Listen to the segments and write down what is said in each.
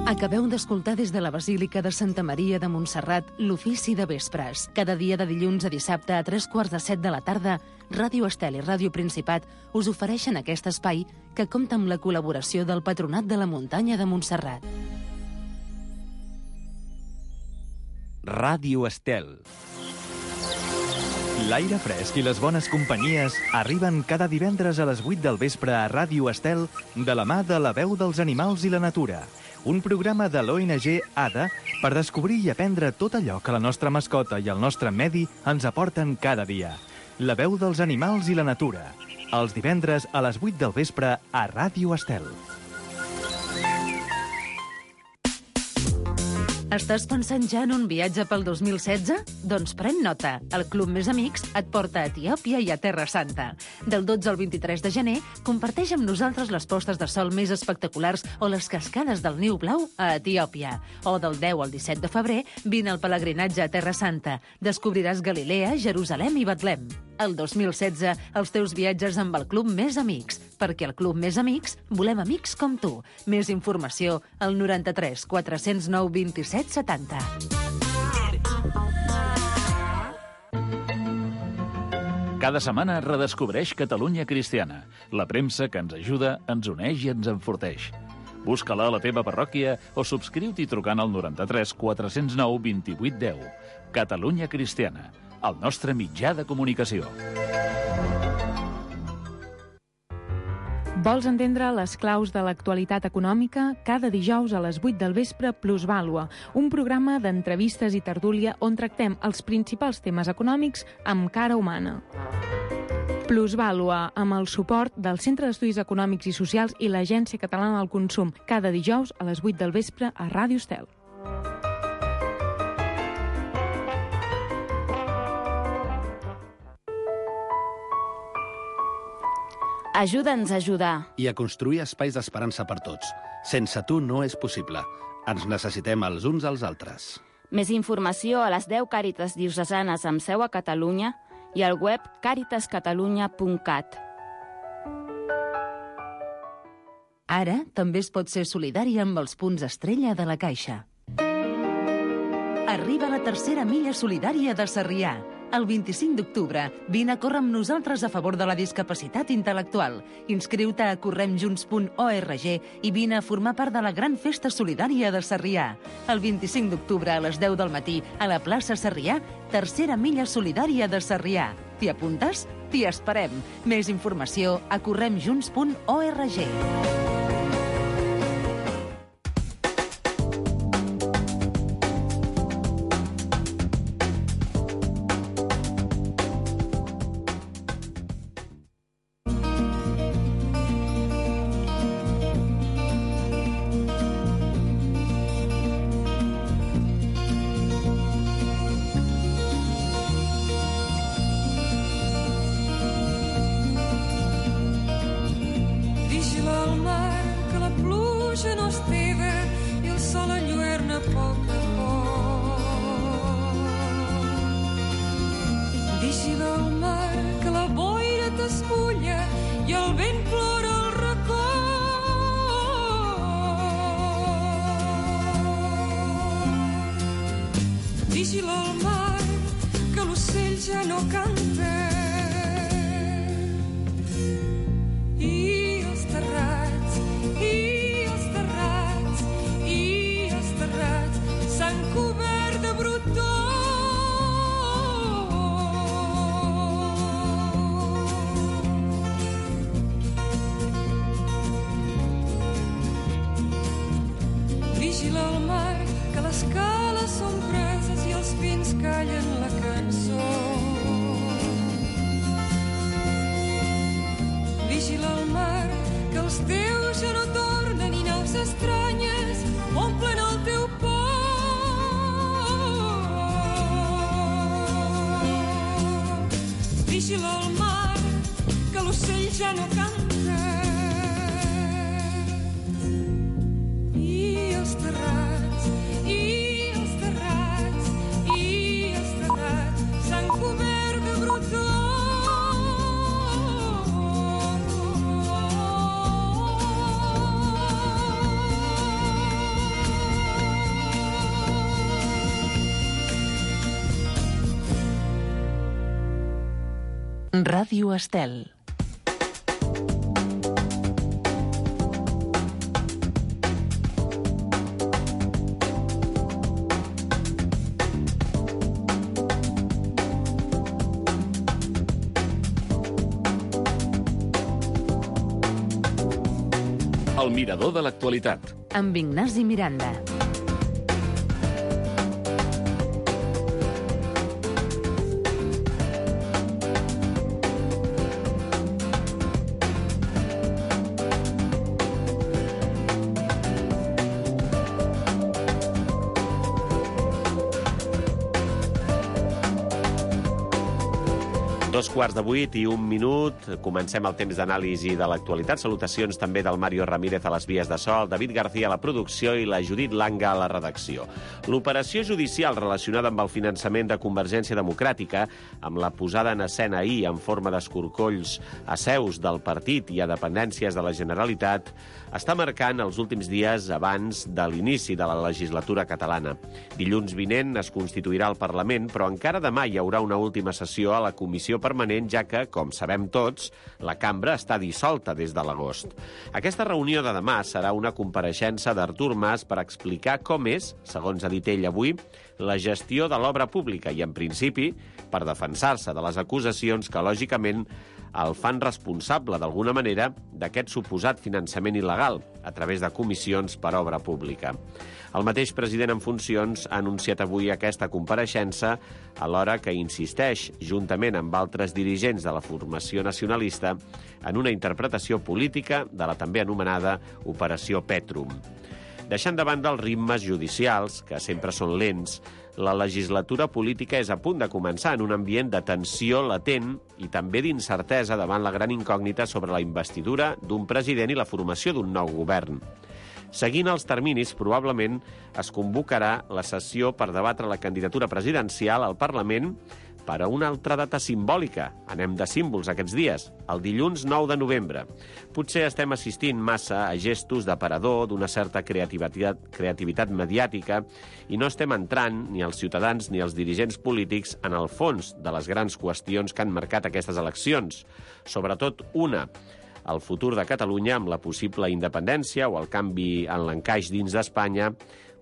Acabeu d'escoltar des de la Basílica de Santa Maria de Montserrat l'Ofici de Vespres. Cada dia de dilluns a dissabte a 3:45 de la tarda, Ràdio Estel i Ràdio Principat us ofereixen aquest espai que compta amb la col·laboració del Patronat de la Muntanya de Montserrat. Ràdio Estel. L'aire fresc i les bones companyies arriben cada divendres a les 8 del vespre a Ràdio Estel de la mà de La Veu dels Animals i la Natura, un programa de l'ONG ADA per descobrir i aprendre tot allò que la nostra mascota i el nostre medi ens aporten cada dia. La Veu dels Animals i la Natura, els divendres a les 8 del vespre a Ràdio Estel. Estàs pensant ja en un viatge pel 2016? Doncs pren nota. El Club Més Amics et porta a Etiòpia i a Terra Santa. Del 12 al 23 de gener, comparteix amb nosaltres les postes de sol més espectaculars o les cascades del Niu Blau a Etiòpia. O del 10 al 17 de febrer, vine al pelegrinatge a Terra Santa. Descobriràs Galilea, Jerusalem i Betlem. El 2016, els teus viatges amb el Club Més Amics. Perquè al Club Més Amics volem amics com tu. Més informació al 93 409 27 70. Cada setmana redescobreix Catalunya Cristiana, la premsa que ens ajuda, ens uneix i ens enforteix. Busca-la a la teva parròquia o subscriu-t'hi trucant al 93 409 28 10. Catalunya Cristiana, el nostre mitjà de comunicació. Vols entendre les claus de l'actualitat econòmica? Cada dijous a les 8 del vespre, Plusvàlua, un programa d'entrevistes i tertúlia on tractem els principals temes econòmics amb cara humana. Plusvàlua, amb el suport del Centre d'Estudis Econòmics i Socials i l'Agència Catalana del Consum, cada dijous a les 8 del vespre a Ràdio Estel. Ajuda'ns a ajudar. I a construir espais d'esperança per tots. Sense tu no és possible. Ens necessitem els uns als altres. Més informació a les 10 Càritas diocesanes amb seu a Catalunya i al web caritascatalunya.cat. Ara també es pot ser solidari amb els punts estrella de la Caixa. Arriba la tercera milla solidària de Sarrià. El 25 d'octubre, vine a córrer amb nosaltres a favor de la discapacitat intel·lectual. Inscriu-te a corremjunts.org i vine a formar part de la gran festa solidària de Sarrià. El 25 d'octubre a les 10 del matí, a la plaça Sarrià, tercera milla solidària de Sarrià. T'hi apuntes? T'hi esperem. Més informació a corremjunts.org. Vigila el mar, que l'ocell ja no canta. I els terrats, i els terrats, i els terrats s'han cobert de brutó. Vigila el mar, que les cales són preses i els pins callen la cançó. Vigila el mar, que els teus ja no tornen i naus estranyes omplen el teu port. Vigila el mar, que l'ocell ja no canta. I els terrats, i els terrats, i els terrats s'han cobert de brutó. Ràdio Estel. El mirador de l'actualitat. Amb Ignasi Miranda. Dos quarts de 8 i 1 minut. Comencem el temps d'anàlisi de l'actualitat. Salutacions també del Mario Ramírez a les vies de so, el David García a la producció i la Judit Langa a la redacció. L'operació judicial relacionada amb el finançament de Convergència Democràtica, amb la posada en escena ahir en forma d'escorcolls a seus del partit i a dependències de la Generalitat, està marcant els últims dies abans de l'inici de la legislatura catalana. Dilluns vinent es constituirà el Parlament, però encara demà hi haurà una última sessió a la Comissió Permanent, ja que, com sabem tots, la cambra està dissolta des de l'agost. Aquesta reunió de demà serà una compareixença d'Artur Mas per explicar com és, segons ha dit ell avui, la gestió de l'obra pública i, en principi, per defensar-se de les acusacions que, lògicament, el fan responsable, d'alguna manera, d'aquest suposat finançament il·legal a través de comissions per obra pública. El mateix president en funcions ha anunciat avui aquesta compareixença, alhora que insisteix, juntament amb altres dirigents de la formació nacionalista, en una interpretació política de la també anomenada Operació Petrum. Deixant de banda els ritmes judicials, que sempre són lents, la legislatura política és a punt de començar en un ambient de tensió latent i també d'incertesa davant la gran incògnita sobre la investidura d'un president i la formació d'un nou govern. Seguint els terminis, probablement es convocarà la sessió per debatre la candidatura presidencial al Parlament per a una altra data simbòlica. Anem de símbols aquests dies, el dilluns 9 de novembre. Potser estem assistint massa a gestos d'aparador d'una certa creativitat mediàtica i no estem entrant, ni els ciutadans ni els dirigents polítics, en el fons de les grans qüestions que han marcat aquestes eleccions. Sobretot una, el futur de Catalunya amb la possible independència o el canvi en l'encaix dins d'Espanya,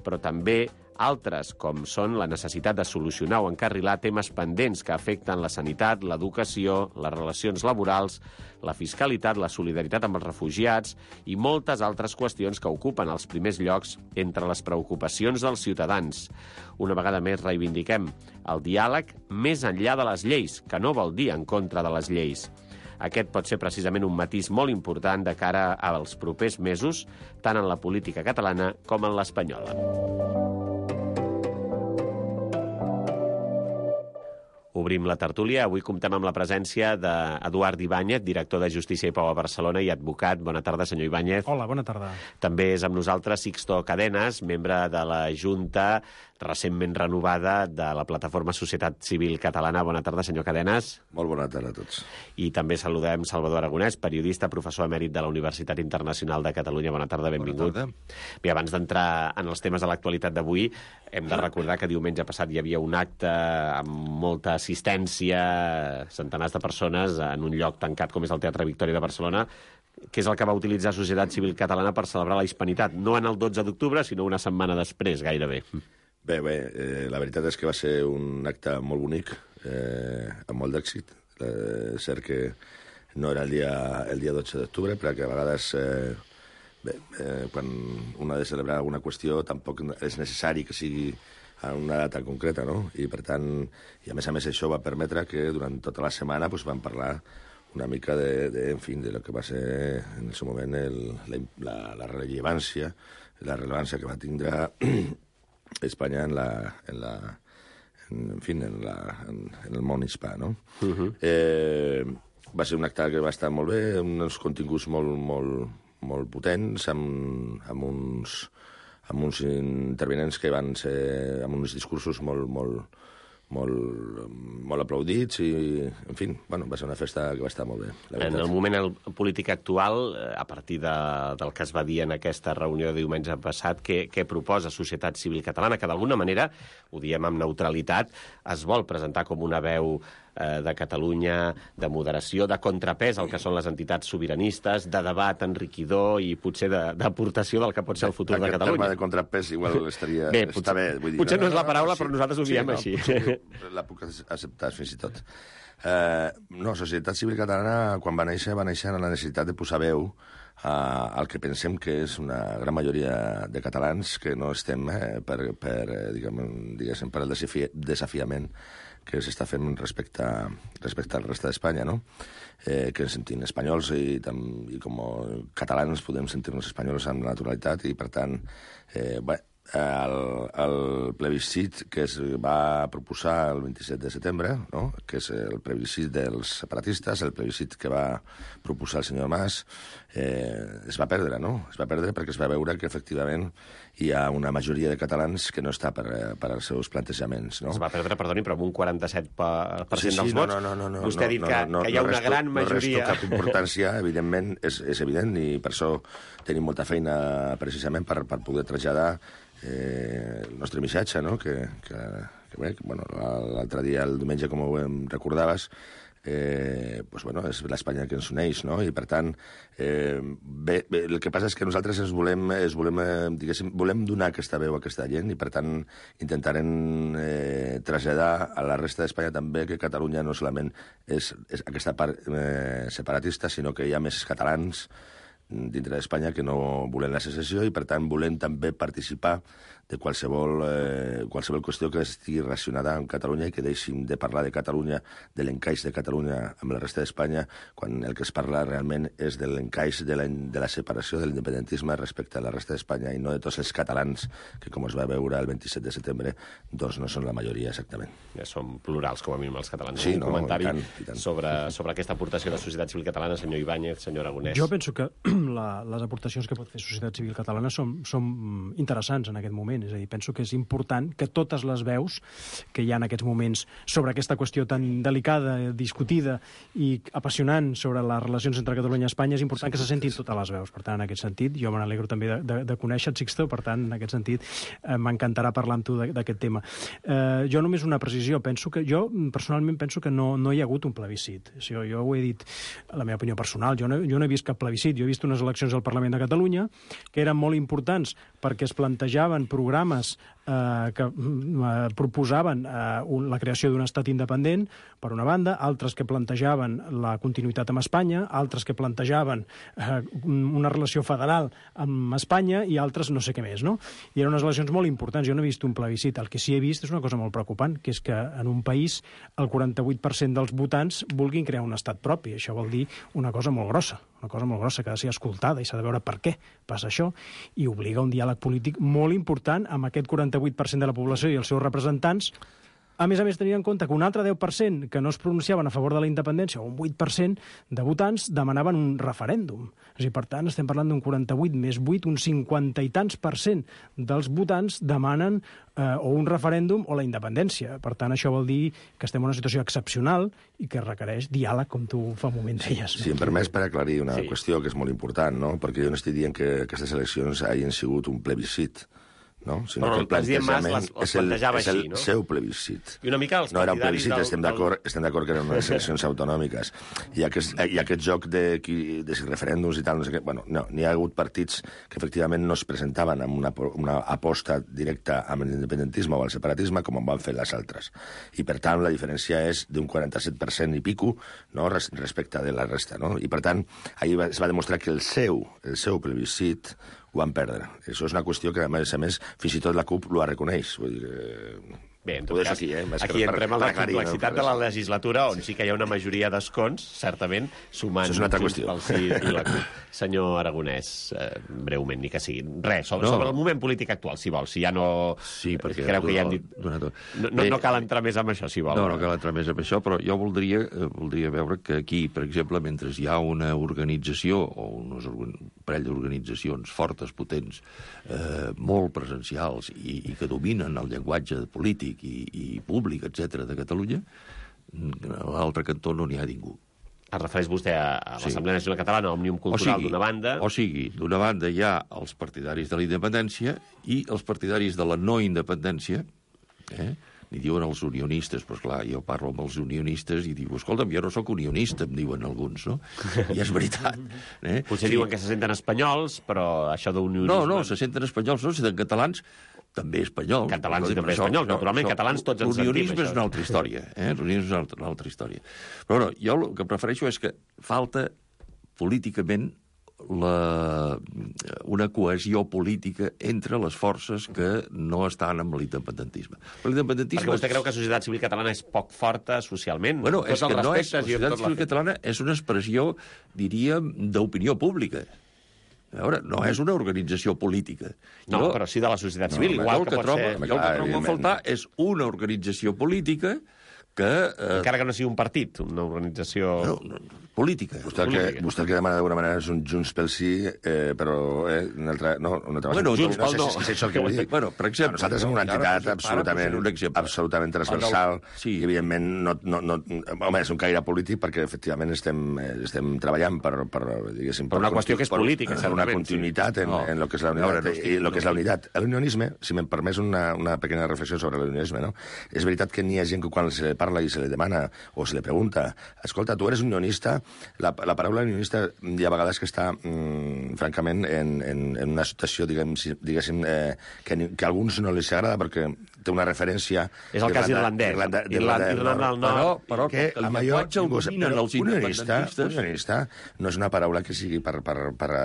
però també altres, com són la necessitat de solucionar o encarrilar temes pendents que afecten la sanitat, l'educació, les relacions laborals, la fiscalitat, la solidaritat amb els refugiats i moltes altres qüestions que ocupen els primers llocs entre les preocupacions dels ciutadans. Una vegada més reivindiquem el diàleg més enllà de les lleis, que no vol dir en contra de les lleis. Aquest pot ser precisament un matís molt important de cara als propers mesos, tant en la política catalana com en l'espanyola. Obrim la tertúlia. Avui comptem amb la presència d'Eduard Ibáñez, director de Justícia i Pau a Barcelona i advocat. Bona tarda, senyor Ibáñez. Hola, bona tarda. També és amb nosaltres Sixto Cadenas, membre de la Junta recentment renovada de la plataforma Societat Civil Catalana. Bona tarda, senyor Cadenas. Molt bona tarda a tots. I també saludem Salvador Aragonès, periodista, professor emèrit de la Universitat Internacional de Catalunya. Bona tarda, benvingut. Bona tarda. Bé, abans d'entrar en els temes de l'actualitat d'avui, hem de recordar que diumenge passat hi havia un acte amb molta assistència, centenars de persones, en un lloc tancat com és el Teatre Victòria de Barcelona, que és el que va utilitzar Societat Civil Catalana per celebrar la Hispanitat. No en el 12 d'octubre, sinó una setmana després, gairebé. Bé, la veritat és que va ser un acte molt bonic, amb molt d'èxit. És cert que no era el dia 12 d'octubre, perquè a vegades, quan un ha de celebrar alguna qüestió, tampoc és necessari que sigui a una data concreta, no? I, per tant, i a més això va permetre que durant tota la setmana vam parlar una mica de lo que va ser en el seu moment la rellevància que va tindre Espanya en el món hispà, no? Va ser un acte que va estar molt bé, amb uns continguts molt potents, amb uns intervenents que van ser amb uns discursos molt aplaudits i, en fi, va ser una festa que va estar molt bé. En el moment polític actual, a partir del que es va dir en aquesta reunió de diumenge passat, què proposa Societat Civil Catalana, que d'alguna manera, ho diem amb neutralitat, es vol presentar com una veu de Catalunya, de moderació, de contrapès al que són les entitats sobiranistes, de debat enriquidor i potser d'aportació del que pot ser el futur de Catalunya. Aquest terme de contrapès igual estaria... Bé, potser no és la paraula, però nosaltres ho diem així. La puc acceptar, fins i tot. Societat Civil Catalana, quan va néixer amb la necessitat de posar veu al que pensem que és una gran majoria de catalans que no estem per el desafiament que s'està fent respecte al reste d'Espanya, no? Que ens sentim espanyols i com a catalans podem sentir-nos espanyols amb naturalitat i, per tant, el plebiscit que es va proposar el 27 de setembre, no? Que és el plebiscit dels separatistes, el plebiscit que va proposar el senyor Mas, es va perdre, no? Es va perdre perquè es va veure que, efectivament, hi ha una majoria de catalans que no està per als seus plantejaments, no? Es va perdre, perdoni, però amb un 47% dels vots. No. Vostè ha dit que hi ha una gran majoria... No resto cap importància, evidentment, és evident, i per això tenim molta feina, precisament, per poder traslladar el nostre missatge, no? Que l'altre dia, el diumenge, com ho recordaves, és l'Espanya que ens uneix, no? I, per tant, el que passa és que nosaltres volem donar aquesta veu a aquesta gent i, per tant, intentarem traslladar a la resta d'Espanya també que Catalunya no solament és aquesta part separatista, sinó que hi ha més catalans dintre d'Espanya que no volen la secessió i, per tant, volen també participar de qualsevol qüestió que estigui relacionada amb Catalunya i que deixin de parlar de Catalunya, de l'encaix de Catalunya amb la resta d'Espanya, quan el que es parla realment és de l'encaix de la separació de l'independentisme respecte a la resta d'Espanya i no de tots els catalans que, com es va veure el 27 de setembre, doncs no són la majoria exactament. Ja som plurals, com a mínim, els catalans. Sí, un comentari i tant. sobre aquesta aportació de Societat Civil Catalana, senyor Ibáñez, senyor Aragonès. Jo penso que les aportacions que pot fer Societat Civil Catalana són interessants en aquest moment. És a dir, penso que és important que totes les veus que hi ha en aquests moments sobre aquesta qüestió tan delicada, discutida i apassionant sobre les relacions entre Catalunya i Espanya, és important que se sentin totes les veus. Per tant, en aquest sentit, jo me n'alegro també de conèixer-te, Sixto, per tant, en aquest sentit, m'encantarà parlar amb tu d'aquest tema. Jo només una precisió. Jo personalment penso que no hi ha hagut un plebiscit. Jo ho he dit, la meva opinió personal. Jo no he vist cap plebiscit. Jo he vist unes eleccions al Parlament de Catalunya que eren molt importants perquè es plantejaven programes que proposaven la creació d'un estat independent, per una banda, altres que plantejaven la continuïtat amb Espanya, altres que plantejaven una relació federal amb Espanya i altres no sé què més, no? I eren unes eleccions molt importants. Jo no he vist un plebiscit. El que sí he vist és una cosa molt preocupant, que és que en un país el 48% dels votants vulguin crear un estat propi. Això vol dir una cosa molt grossa que ha de ser escoltada i s'ha de veure per què passa això, i obliga un diàleg polític molt important amb aquest 48% de la població i els seus representants. A més, tenint en compte que un altre 10% que no es pronunciaven a favor de la independència, o un 8% de votants, demanaven un referèndum. És a dir, per tant, estem parlant d'un 48 més 8, un 50 i tants % dels votants demanen o un referèndum o la independència. Per tant, això vol dir que estem en una situació excepcional i que requereix diàleg, com tu fa un moment deies. Si em permets, per aclarir una qüestió que és molt important, no? Perquè jo no estic dient que aquestes eleccions hagin sigut un plebiscit, no? Sinó que el plantejament és el seu plebiscit. I una mica els no era un plebiscit, estem d'acord que eren unes eleccions autonòmiques. I aquest joc de referèndums i tal, no sé què... No, n'hi ha hagut partits que efectivament no es presentaven amb una aposta directa amb l'independentisme o el separatisme com en van fer les altres. I, per tant, la diferència és d'un 47% i pico, no?, respecte de la resta, no? I, per tant, ahir es va demostrar que el seu plebiscit ho van perdre. Això és una qüestió que, a més, fins i tot la CUP ho reconeix. Vull dir que... Bé, en tot cas, aquí entrem a la complexitat de la legislatura, on sí que hi ha una majoria d'escons, certament, sumant el sí i la CUP. Senyor Aragonès, breument, ni que sigui. Res, sobre el moment polític actual, si vol. Si ja no... Sí, perquè... Creu que ja hem dit... No cal entrar més amb això, si vol. No cal entrar més amb això, però jo voldria veure que aquí, per exemple, mentre hi ha una organització, o un parell d'organitzacions fortes, potents, molt presencials i que dominen el llenguatge polític i públic, etc de Catalunya, a l'altre cantó no n'hi ha ningú. Es refereix vostè a l'Assemblea Nacional Catalana, Òmnium Cultural, d'una banda... O sigui, d'una banda hi ha els partidaris de la independència i els partidaris de la no independència. li diuen els unionistes, però clar, jo parlo amb els unionistes i diu, escolta'm, jo no sóc unionista, em diuen alguns, no? I és veritat. Potser diuen que se senten espanyols, però això d'unionisme... No, se senten espanyols, no, se senten catalans, també espanyols. Catalans i també espanyols, naturalment, catalans tots ens sentim. L'unionisme és una altra història, l'unionisme és una altra història. Però bueno, jo el que prefereixo és que falta políticament una cohesió política entre les forces que no estan amb l'independentisme. Perquè vostè creu que la societat civil catalana és poc forta socialment? Bueno, és que no és... La societat civil catalana és una expressió, diríem, d'opinió pública. A veure, no és una organització política. No, però sí de la societat civil, igual que pot ser... El que trobo a faltar és una organització política que... Encara que no sigui un partit, una organització... Política. Vostè el que demana d'alguna manera és un Junts pel Sí, però una altra... No, una altra... Bueno, Junts pel No sé si és això el que vull dir. Bueno, per exemple... Nosaltres som una entitat absolutament transversal i, evidentment, home, és un caire polític perquè, efectivament, estem treballant per diguéssim... Per una qüestió que és política, certament. Per una continuïtat en el que és la unitat i el que és la unitat. L'unionisme, si m'hem permès una pequeña reflexió sobre l'unionisme, no? És veritat que n'hi ha gent que quan se li parla i se li demana o se li pregunta, escolta, tu eres unionista. La paraula unionista hi ha vegades que està, francament, en una situació, diguéssim, que a alguns no els agrada perquè té una referència... És el cas irlandès. Irlanda del Nord. Però que el llenguatge el dominen els independentistes... Unionista no és una paraula que sigui per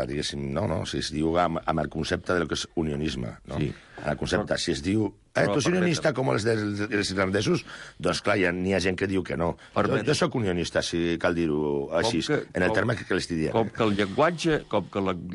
diguéssim, no, si es diu amb el concepte del que és unionisme, no? El concepte, si es diu... tu ets unionista com els irlandesos? Doncs clar, n'hi ha gent que diu que no. Jo sóc unionista, si cal dir-ho així, en el terme que l'estic dient. Com que el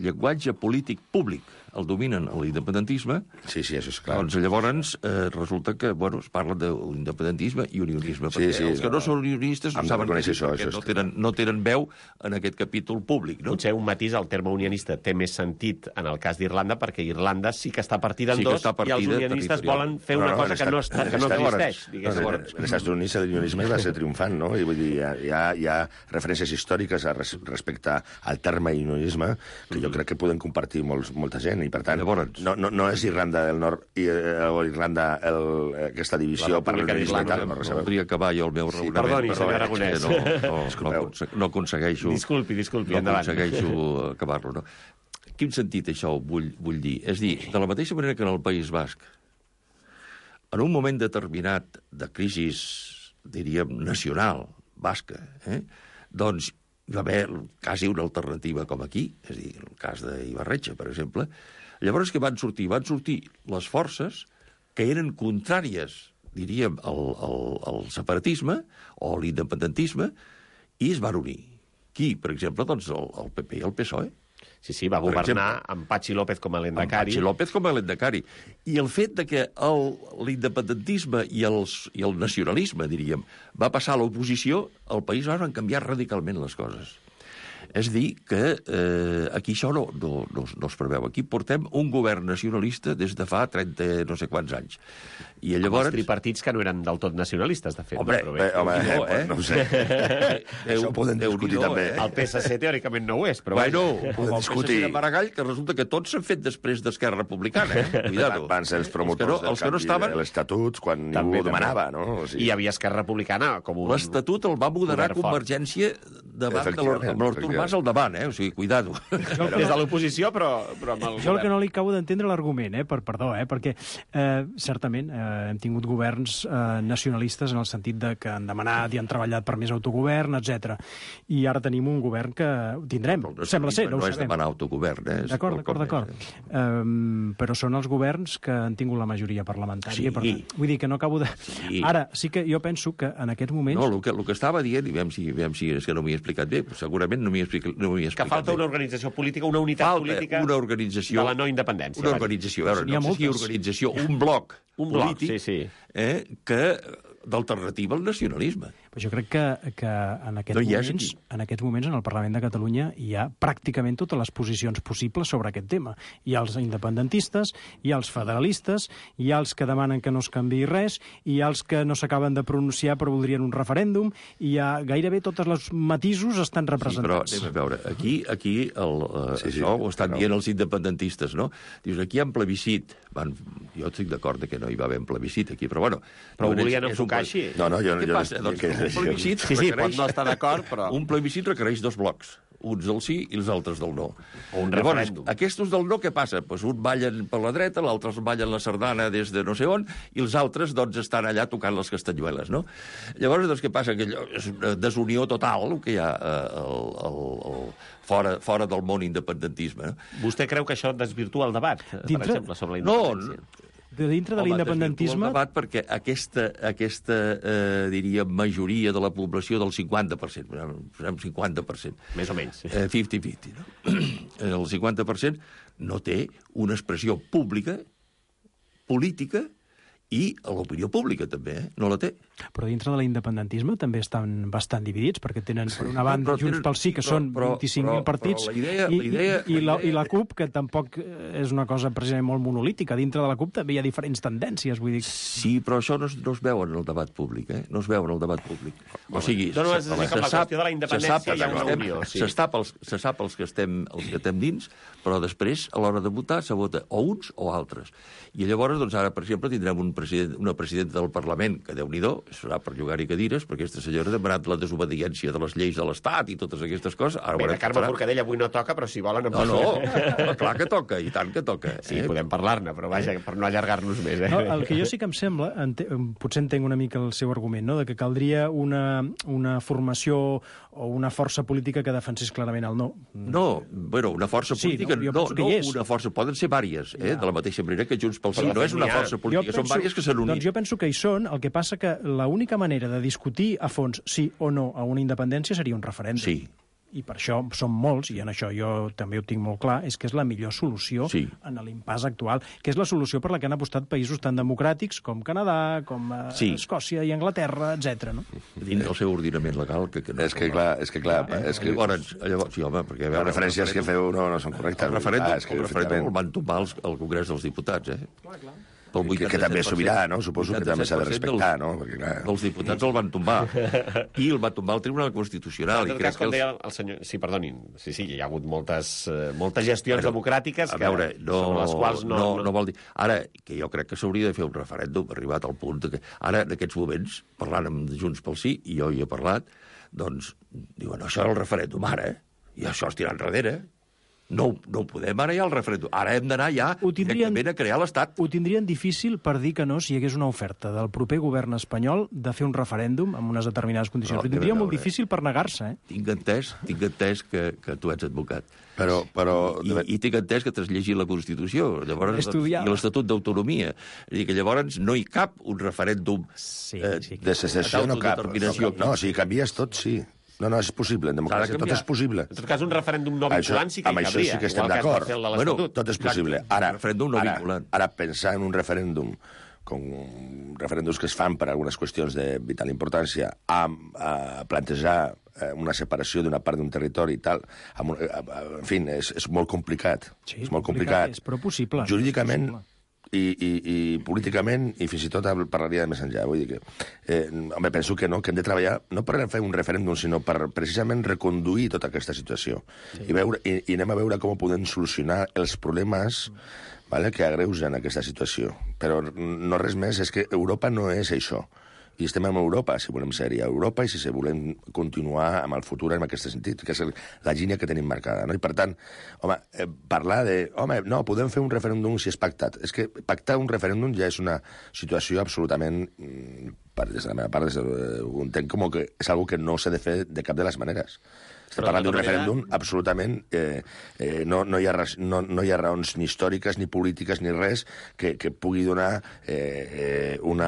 llenguatge polític públic el dominen l'independentisme, sí, això és clar. Doncs llavors resulta que es parla d'independentisme i unionisme, perquè els que no són unionistes no saben perquè no tenen veu en aquest capítol públic. Potser un matís, el terme unionista té més sentit en el cas d'Irlanda, perquè Irlanda sí que està partida en dos i els unionistes volen fer una cosa que no existeix. En els Estats Units l'unionisme va ser triomfant, no? I vull dir, hi ha referències històriques respecte al terme unionisme que jo crec que poden compartir molta gent. I, per tant, no és Irlanda del Nord o Irlanda aquesta divisió per l'unionisme. Voldria acabar jo el meu raonament. Perdoni, senyor Aragonès. No aconsegueixo... Disculpi, endavant. No aconsegueixo acabar-lo, no? Quin sentit això vull dir? És dir, de la mateixa manera que en el País Basc, en un moment determinat de crisi, diríem, nacional, basca, doncs hi va haver quasi una alternativa com aquí, és a dir, el cas d'Ibarretxe, per exemple. Llavors què van sortir? Van sortir les forces que eren contràries, diríem, al separatisme o a l'independentisme, i es van unir. Qui, per exemple? Doncs el PP i el PSOE. Sí, va governar amb Patxi López com a lendacari. I el fet de que l'independentisme i el nacionalisme, diríem, va passar a l'oposició, al país van canviar radicalment les coses. És dir, que aquí això no es preveu. Aquí portem un govern nacionalista des de fa 30 no sé quants anys. I llavors... Els tripartits que no eren del tot nacionalistes, de fet. No ho sé. Això ho podem discutir també. El PSC teòricament no ho és, però... Bueno, el PSC de Maragall, que resulta que tots s'han fet després d'Esquerra Republicana. Cuidado. Van ser els promotors del canvi de l'Estatut, quan ningú ho demanava, no? I hi havia Esquerra Republicana com un... L'Estatut el va moderar Convergència davant amb l'Artur Mas al davant, o sigui, cuidado. Des de l'oposició, però amb el Jo el que no li acabo d'entendre l'argument, perdó, perquè certament hem tingut governs nacionalistes en el sentit de que han demanat i han treballat per més autogovern, etc. I ara tenim un govern que tindrem, sembla ser, no ho sabem. No és demanar autogovern, D'acord. Però són els governs que han tingut la majoria parlamentària. Vull dir que no acabo de... Ara, sí que jo penso que en aquests moments... No, el que estava dient, i veiem si és que no m'hi he explicat bé, segurament no m'hi he explicat bé. Que falta una organització política, una unitat política de la no independència. Una organització, a veure, no sé si organització, un bloc polític que d'alternativa al nacionalisme. Però jo crec que en aquests moments en el Parlament de Catalunya hi ha pràcticament totes les posicions possibles sobre aquest tema. Hi ha els independentistes, hi ha els federalistes, hi ha els que demanen que no es canviï res, hi ha els que no s'acaben de pronunciar però voldrien un referèndum, i hi ha gairebé tots els matisos estan representats. Sí, però anem a veure, aquí això ho estan dient els independentistes, no? Dius, aquí hi ha un plebiscit. Jo estic d'acord que no hi va haver un plebiscit aquí, però bueno... Però ho volien enfocar així? No, jo... Què passa? Doncs un plebiscit... Sí, pot no estar d'acord, però... Un plebiscit requereix 2 blocs, uns del sí i els altres del no. O un referèndum. Aquests del no, què passa? Pues un ballen per la dreta, l'altre ballen la sardana des de no sé on, i els altres doncs estan allà tocant les castanyueles, no? Llavors, doncs, què passa? Que és una desunió total, el que hi ha fora del món independentisme. Vostè creu que això desvirtua el debat, per exemple, sobre la independència? Dintre de l'independentisme... El debat perquè aquesta diria, majoria de la població del 50%, 50%. Més o menys. 50-50, no? El 50% no té una expressió pública, política, i a l'opinió pública, també, no la té. Però dintre de l'independentisme també estan bastant dividits, perquè tenen, per una banda, Junts pel Sí, que són 25.000 partits, i la CUP, que tampoc és una cosa precisament molt monolítica. Dintre de la CUP també hi ha diferents tendències, vull dir... Sí, però això no es veu en el debat públic, No es veu en el debat públic. O sigui, se sap els que estem dins, però després, a l'hora de votar, se vota o uns o altres. I llavors, doncs, ara, per exemple, tindrem una presidenta del Parlament, que Déu-n'hi-do, serà per llogar-hi cadires, perquè aquesta senyora ha demanat la desobediència de les lleis de l'Estat i totes aquestes coses. Bé, de Carme Forcadell avui no toca, però si volen... No, clar que toca, i tant que toca. Sí, podem parlar-ne, però vaja, per no allargar-nos més. No, el que jo sí que em sembla, potser entenc una mica el seu argument, no?, de que caldria una formació o una força política que defensés clarament el no. No, bueno, una força política... No, una força, poden ser vàries, de la mateixa manera que Junts pel Sí no és una força política, són vàries que s'han unit. Doncs jo penso que hi són, el que passa que l'única manera de discutir a fons sí o no a una independència seria un referèndum. Sí. I per això som molts, i en això jo també ho tinc molt clar, és que és la millor solució en l'impàs actual, que és la solució per la que han apostat països tan democràtics com Canadà, com Escòcia i Anglaterra, etc. No? Dins del seu ordinament legal, que no... És que clar... Llavors, sí, home, perquè... Les referències que feu no són correctes. El referèndum el van tombar al Congrés dels Diputats, Clar. Que també és sobirà, no? Suposo que també s'ha de respectar, no? Perquè, clar... Els diputats el van tombar. I el va tombar el Tribunal Constitucional. En tot cas, com deia el senyor... Sí, perdonin. Sí, hi ha hagut moltes gestions democràtiques sobre les quals no vol dir... Ara, que jo crec que s'hauria de fer un referèndum, arribat al punt que... Ara, en aquests moments, parlant amb Junts pel Sí, i jo hi he parlat, doncs, diuen, això era el referèndum ara, i això es tira enrere. No ho podem ara ja el referèndum. Ara hem d'anar ja directament a crear l'Estat. Ho tindrien difícil per dir que no si hi hagués una oferta del proper govern espanyol de fer un referèndum amb unes determinades condicions. Ho tindria molt difícil per negar-se, Tinc entès que tu ets advocat. Però... I tinc entès que t'has llegit la Constitució, llavors, i l'Estatut d'Autonomia. És a dir, que llavors no hi cap un referèndum de secessió, no cap. No, si canvies tot, sí. No, és possible, en democràcia tot és possible. En tot cas, un referèndum no vinculant sí que hi cabria. Amb això sí que estem d'acord. Bueno, tot és possible. Ara, pensar en un referèndum, com referèndums que es fan per algunes qüestions de vital importància, a plantejar una separació d'una part d'un territori i tal, en fi, és molt complicat. Sí, és molt complicat, però possible. Jurídicament... I políticament, i fins i tot parlaria de més enllà. Vull dir que, home, penso que no, que hem de treballar no per fer un referèndum, sinó per precisament reconduir tota aquesta situació. I anem a veure com podem solucionar els problemes que agreugen aquesta situació. Però no res més, és que Europa no és això. I estem en Europa, si volem ser-hi a Europa, i si volem continuar amb el futur en aquest sentit, que és la línia que tenim marcada. No? I per tant, home, parlar de... Home, no, podem fer un referèndum si és pactat. És que pactar un referèndum ja és una situació absolutament... Des de la meva part, ho entenc com que és una que no s'ha de fer de cap de les maneres. Estem parlant d'un referèndum absolutament... No hi ha raons ni històriques, ni polítiques, ni res que pugui donar un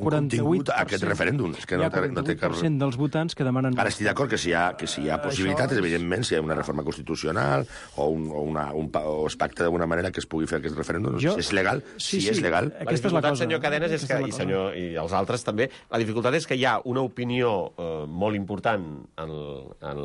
contingut a aquest referèndum. És que hi ha 48% dels votants que demanen... Ara estic d'acord que si hi ha possibilitats, evidentment, si hi ha una reforma constitucional o es pacta d'alguna manera que es pugui fer aquest referèndum, si és legal, si és legal... La dificultat, senyor Cadenes, i els altres també, La dificultat és que hi ha una opinió molt important en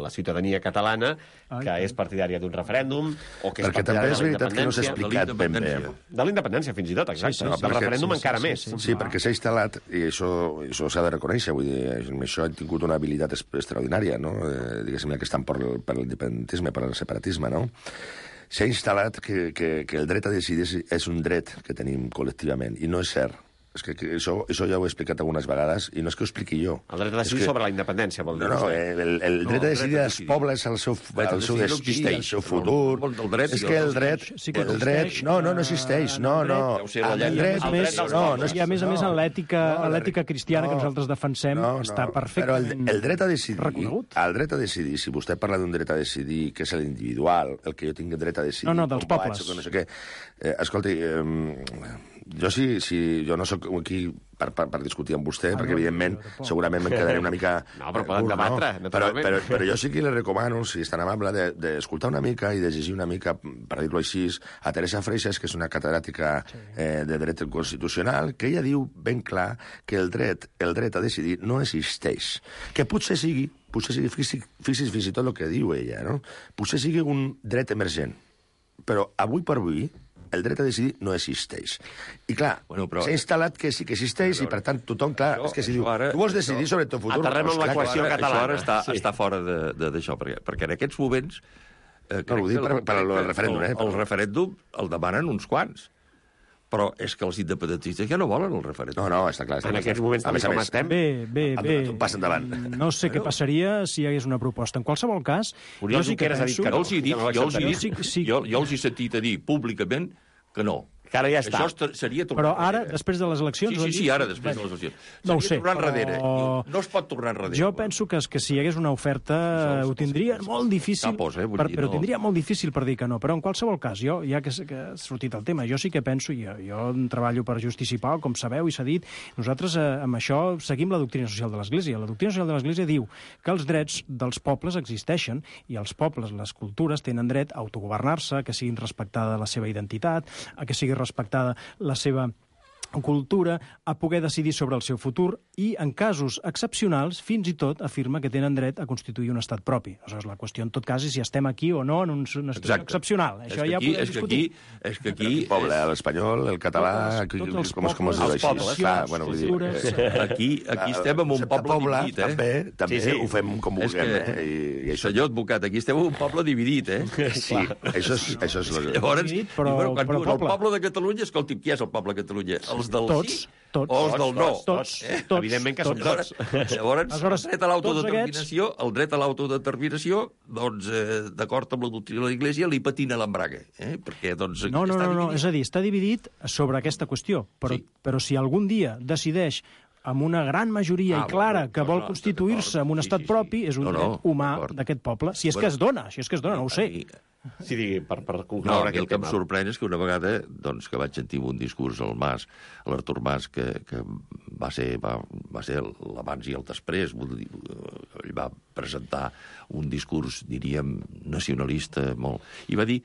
la ciutadania catalana que és partidària d'un referèndum o que és perquè també partidària és de la veritat que no s'ha independència. explicat ben bé. De la independència, fins i tot, exacte. Sí, Del referèndum encara més. Sí, perquè s'ha instal·lat, i això s'ha de reconèixer, vull dir, amb això han tingut una habilitat extraordinària, no? Diguéssim, que estan per l'independentisme, per el separatisme, no? S'ha instal·lat que el dret a decidir és un dret que tenim col·lectivament, i no és cert. És que això ja ho he explicat algunes vegades, i no és que ho expliqui jo. El dret a decidir sobre la independència, vol dir. No, el dret a decidir dels pobles, el seu destí, el seu futur... És que el dret... No existeix. No. El dret... I a més, en l'ètica cristiana que nosaltres defensem, està perfectament el dret a decidir, reconegut. El dret a decidir, si vostè parla d'un dret a decidir, que és l'individual, el que jo tinc dret a decidir... No, dels pobles. No sé què. Escolti, jo no sóc aquí per discutir amb vostè, perquè, evidentment, segurament me'n quedaré una mica... No, però poden debatre, naturalment. Però jo sí que li recomano, si és tan amable, d'escoltar una mica i de llegir una mica, per dir-ho així, a Teresa Freixas, que és una catedràtica de dret constitucional, que ella diu ben clar que el dret a decidir no existeix. Que potser sigui, fixi's fins i tot el que diu ella, no? Potser sigui un dret emergent, però avui per avui el dret a decidir no existeix. I clar, s'ha instal·lat que sí que existeix i, per tant, tothom, clar, és que si diu, tu vols decidir sobre el teu futur... Aterrem en l'equació catalana. Això ara està fora d'això, perquè en aquests moments... No, ho dic per al referèndum, El referèndum el demanen uns quants. Però és que els independentistes ja no volen el referèndum. No, està clar. En aquests moments també com estem. Bé. Passa endavant. No sé què passaria si hi hagués una proposta. En qualsevol cas... Oriol Junqueras ha dit que no. Jo els he sentit a dir públicament que no. Que ara ja està. Això seria tornar però ara, després de les eleccions... Sí, ara, després de les eleccions. No ho sé, tornar enrere. No es pot tornar enrere. Jo penso que si hi hagués una oferta ho tindria molt difícil, però tindria molt difícil per dir que no. Però en qualsevol cas, jo, ja que ha sortit el tema, jo sí que penso, jo treballo per Justícia i Pau, com sabeu i s'ha dit, nosaltres amb això seguim la doctrina social de l'Església. La doctrina social de l'Església diu que els drets dels pobles existeixen i els pobles, les cultures, tenen dret a autogovernar-se, que siguin respectada la seva identitat, a que sigui respectada la seva cultura, a poder decidir sobre el seu futur i, en casos excepcionals, fins i tot afirma que tenen dret a constituir un estat propi. Aleshores, la qüestió en tot cas és si estem aquí o no en una situació excepcional. Això ja podem discutir. És que aquí... poble, l'espanyol, el català... Tots els pobles, els pobles. Aquí estem en un poble dividit, També ho fem com vulguem. Senyor advocat, aquí estem en un poble dividit, Sí, això és... Llavors, quan diuen el poble de Catalunya, escolti, qui és el poble de Catalunya? Els del sí o els del no? Tots. Evidentment que som tots. Llavors, el dret a l'autodeterminació, doncs, d'acord amb la doctrina de l'Església, li patina l'embrague. Perquè, doncs, no, és a dir, està dividit sobre aquesta qüestió, però si algun dia decideix amb una gran majoria i clara que vol constituir-se en un estat propi, és un dret humà d'aquest poble. Si és que es dona, no ho sé. Sí, digui, per concloure aquest tema. El que em sorprèn és que una vegada, doncs, que vaig sentir un discurs al Mas, a l'Artur Mas, que va ser l'abans i el després, ell va presentar un discurs, diríem, nacionalista molt, i va dir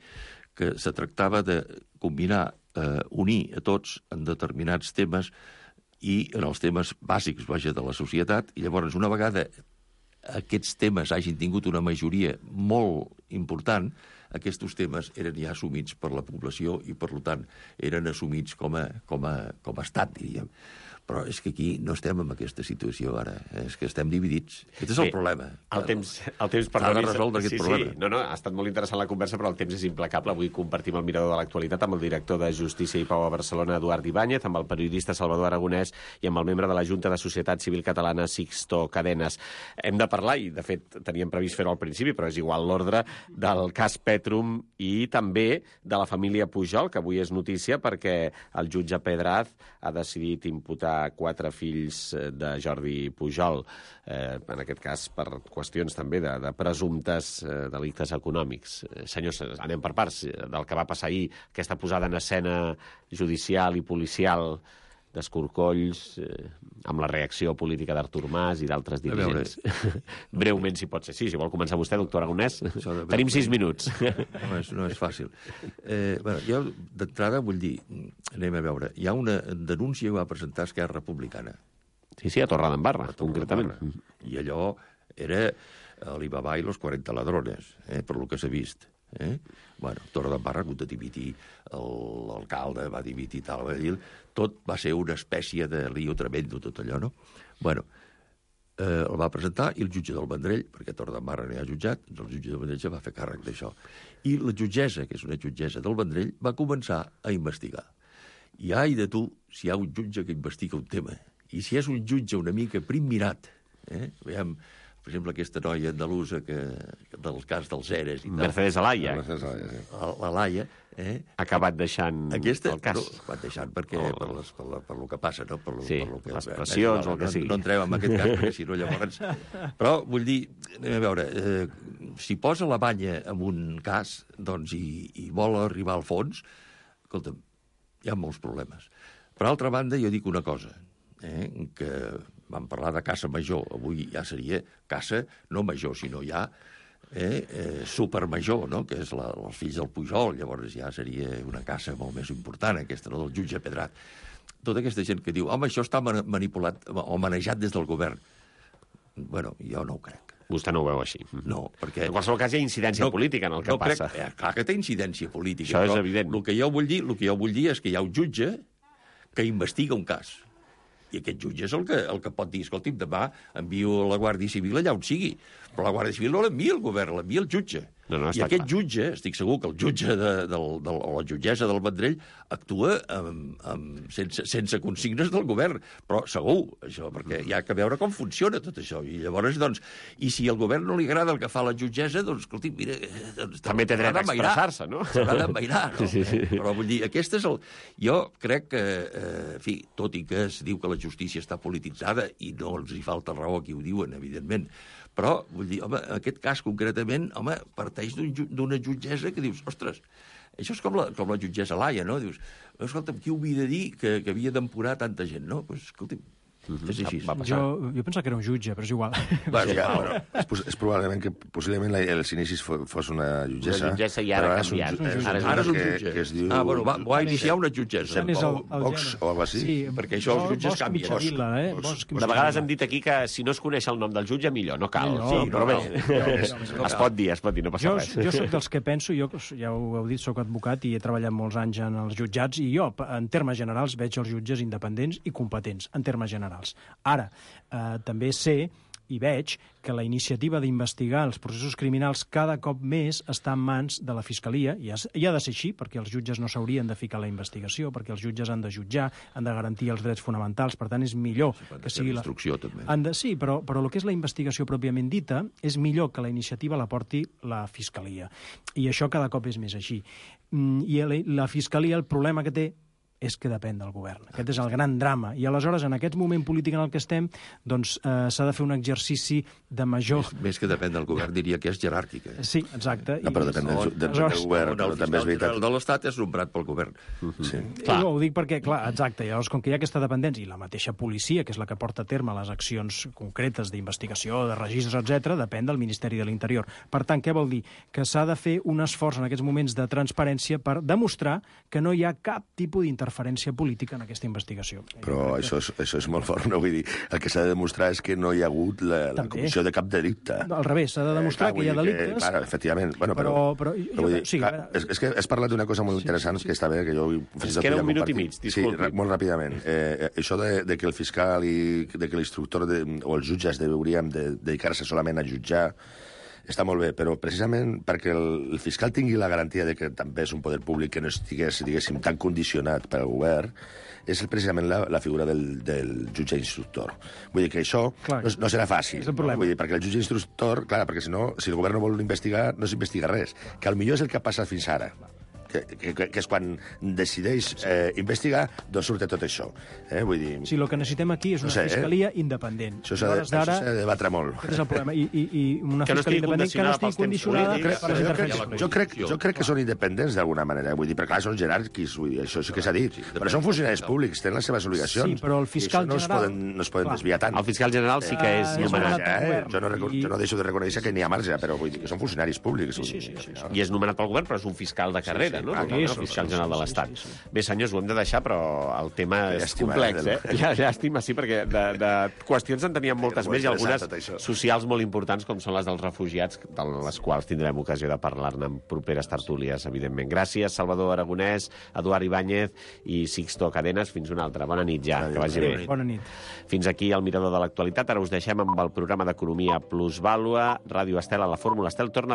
que se tractava de combinar, unir a tots en determinats temes i en els temes bàsics, de la societat, i llavors, una vegada aquests temes hagin tingut una majoria molt important, aquests temes eren ja assumits per la població i, per tant, eren assumits com a estat, diríem. Però és que aquí no estem en aquesta situació ara, és que estem dividits. Aquest és el problema. El temps ha de resoldre aquest problema. No, ha estat molt interessant la conversa, però el temps és implacable. Avui compartim el mirador de l'actualitat amb el director de Justícia i Pau a Barcelona, Eduard Ibáñez, amb el periodista Salvador Aragonès i amb el membre de la Junta de Societat Civil Catalana, Sixto Cadenes. Hem de parlar, i de fet teníem previst fer-ho al principi, però és igual l'ordre, del cas Petrum i també de la família Pujol, que avui és notícia perquè el jutge Pedraz ha decidit imputar 4 fills de Jordi Pujol, en aquest cas per qüestions també de presumptes delictes econòmics. Senyors, anem per parts del que va passar ahir, aquesta posada en escena judicial i policial d'escorcolls, amb la reacció política d'Artur Mas i d'altres dirigents. Breument, si pot ser. Sí, si vol començar vostè, doctor Aragonès. Tenim 6 minuts. No és fàcil. Jo, d'entrada, vull dir, anem a veure, hi ha una denúncia que va presentar Esquerra Republicana. Sí, a Torredembarra, concretament. I allò era Alibaba i los 40 ladrones, per lo que s'ha vist. Bueno, Torredembarra ha hagut de dimitir, l'alcalde va dimitir, tal, tot va ser una espècie de lío tremendo, tot allò, no? Bueno, el va presentar i el jutge del Vendrell, perquè Torredembarra no hi ha jutjat, el jutge del Vendrell ja va fer càrrec d'això. I la jutgessa, que és una jutgessa del Vendrell, va començar a investigar. I ai de tu, si hi ha un jutge que investiga un tema, i si és un jutge una mica primmirat, veiem, per exemple, aquesta noia andalusa del cas dels ERES i tal. Mercedes Alaya. La Laia, ha acabat deixant el cas. No, ha acabat deixant per lo que passa, no? Sí, les pressions o el que sigui. No entrem en aquest cas, perquè si no llavors... Però, vull dir, anem a veure, si posa la banya en un cas, doncs, i vol arribar al fons, escolta'm, hi ha molts problemes. Per altra banda, jo dic una cosa, que vam parlar de caça major, avui ja seria caça no major, sinó ja supermajor, no? Que és els fills del Pujol, llavors ja seria una caça molt més important, aquesta, no? Del jutge Pedrat. Tota aquesta gent que diu, home, això està manipulat o manejat des del govern. Bueno, jo no ho crec. Vostè no ho veu així. No, perquè... En qualsevol cas hi ha incidència política en el que passa. Clar que té incidència política. Això és evident. El que jo vull dir és que hi ha un jutge que investiga un cas. I aquest jutge és el que pot dir, escolti'm, demà envio la Guàrdia Civil allà on sigui. Però la Guàrdia Civil no l'envia el govern, l'envia el jutge. I aquest jutge, estic segur que el jutge o la jutgessa del Vendrell actua sense consignes del govern, però segur, això, perquè hi ha que veure com funciona tot això. I llavors, doncs, i si al govern no li agrada el que fa la jutgessa, doncs, escolti, mira... També té dret a expressar-se, no? S'haurà d'envairar, no? Però vull dir, aquest és el... Jo crec que, en fi, tot i que es diu que la justícia està polititzada, i no els hi falta raó a qui ho diuen, evidentment, però, vull dir, home, aquest cas concretament, home, parteix d'una jutgessa que dius, ostres, això és com la jutgessa Laia, no? Dius, escolta'm, qui ho havia de dir que havia d'empurar tanta gent, no? Doncs, escolta'm, és així. Jo pensava que era un jutge, però és igual. És probablement que possiblement als inicis fos una jutgessa. Una jutgessa i ara ha canviat. Ara és un jutge. Que es diu... Va iniciar una jutgessa. Vox o alguna cosa així. Perquè això els jutges canvien. De vegades hem dit aquí que si no es coneix el nom del jutge, millor, no cal. Però bé, es pot dir, no passa res. Jo soc dels que penso, jo ja ho heu dit, soc advocat i he treballat molts anys en els jutjats, i jo, en termes generals, veig els jutges independents i competents, en termes generals. Ara, també sé i veig que la iniciativa d'investigar els processos criminals cada cop més està en mans de la Fiscalia, i ha de ser així, perquè els jutges no s'haurien de ficar a la investigació, perquè els jutges han de jutjar, han de garantir els drets fonamentals, per tant és millor que sigui la... també. Sí, però el que és la investigació pròpiament dita és millor que la iniciativa la porti la Fiscalia. I això cada cop és més així. I la Fiscalia, el problema que té és que depèn del govern. Aquest és el gran drama. I aleshores, en aquest moment polític en el que estem, doncs s'ha de fer un exercici de major... Més que depèn del govern, diria que és jeràrquica. Sí, exacte. No, però depèn del govern, però també és veritat. El de l'Estat és nombrat pel govern. Sí. No, ho dic perquè, clar, exacte, llavors, com que hi ha aquesta dependència, i la mateixa policia, que és la que porta a terme les accions concretes d'investigació, de registres, etc., depèn del Ministeri de l'Interior. Per tant, què vol dir? Que s'ha de fer un esforç en aquests moments de transparència per demostrar que no hi ha cap tipus d'interferència política en aquesta investigació. Però això és molt fort, no? Vull dir, el que s'ha de demostrar és que no hi ha hagut la comissió de cap delicte. Al revés, s'ha de demostrar que hi ha delictes... Clar, efectivament. Bueno, però és que has parlat d'una cosa molt interessant, que està bé, que jo... Es queda un minut i mig, disculpi. Sí, molt ràpidament. Això de que el fiscal i de que l'instructor o els jutges hauríem de dedicar-se solament a jutjar està molt bé, però precisament perquè el fiscal tingui la garantia de que també és un poder públic que no estigués, diguéssim, tan condicionat pel govern, és precisament la figura del jutge instructor. Vull dir que això no serà fàcil. Vull dir, perquè el jutge instructor, clar, perquè si el govern no vol investigar, no s'investiga res. Que potser és el que ha passat fins ara. Que és quan decideix investigar, doncs surt tot això. Vull dir... Sí, el que necessitem aquí és una fiscalia independent. Això s'ha de debatre molt. Aquest és el problema. I una fiscalia independent que no estigui condicionada per les interferències polítiques. Jo crec que són independents d'alguna manera. Vull dir, perquè clar, són jeràrquics, això sí que s'ha dit. Però són funcionaris públics, tenen les seves obligacions. Sí, però el fiscal general... No es poden desviar tant. El fiscal general sí que és nomenat. Jo no deixo de reconèixer que n'hi ha marge, però vull dir que són funcionaris públics. I és nomenat pel govern, però és un fiscal de carrera. sempre, no? Aquí, El fiscal general de l'Estat. Bé, senyors, ho hem de deixar, però el tema és complex, Llàstima, sí, perquè de qüestions en teníem moltes més i algunes socials molt importants, com són les dels refugiats, de les quals tindrem ocasió de parlar-ne en properes tertúlies, evidentment. Gràcies, Salvador Aragonès, Eduard Ibáñez i Sixto Cadenas. Fins una altra. Bona nit ja, que vagi bé. Bona nit. Fins aquí el Mirador de l'Actualitat. Ara us deixem amb el programa d'Economia Plusvàlua. Ràdio Estel a la Fórmula Estel torna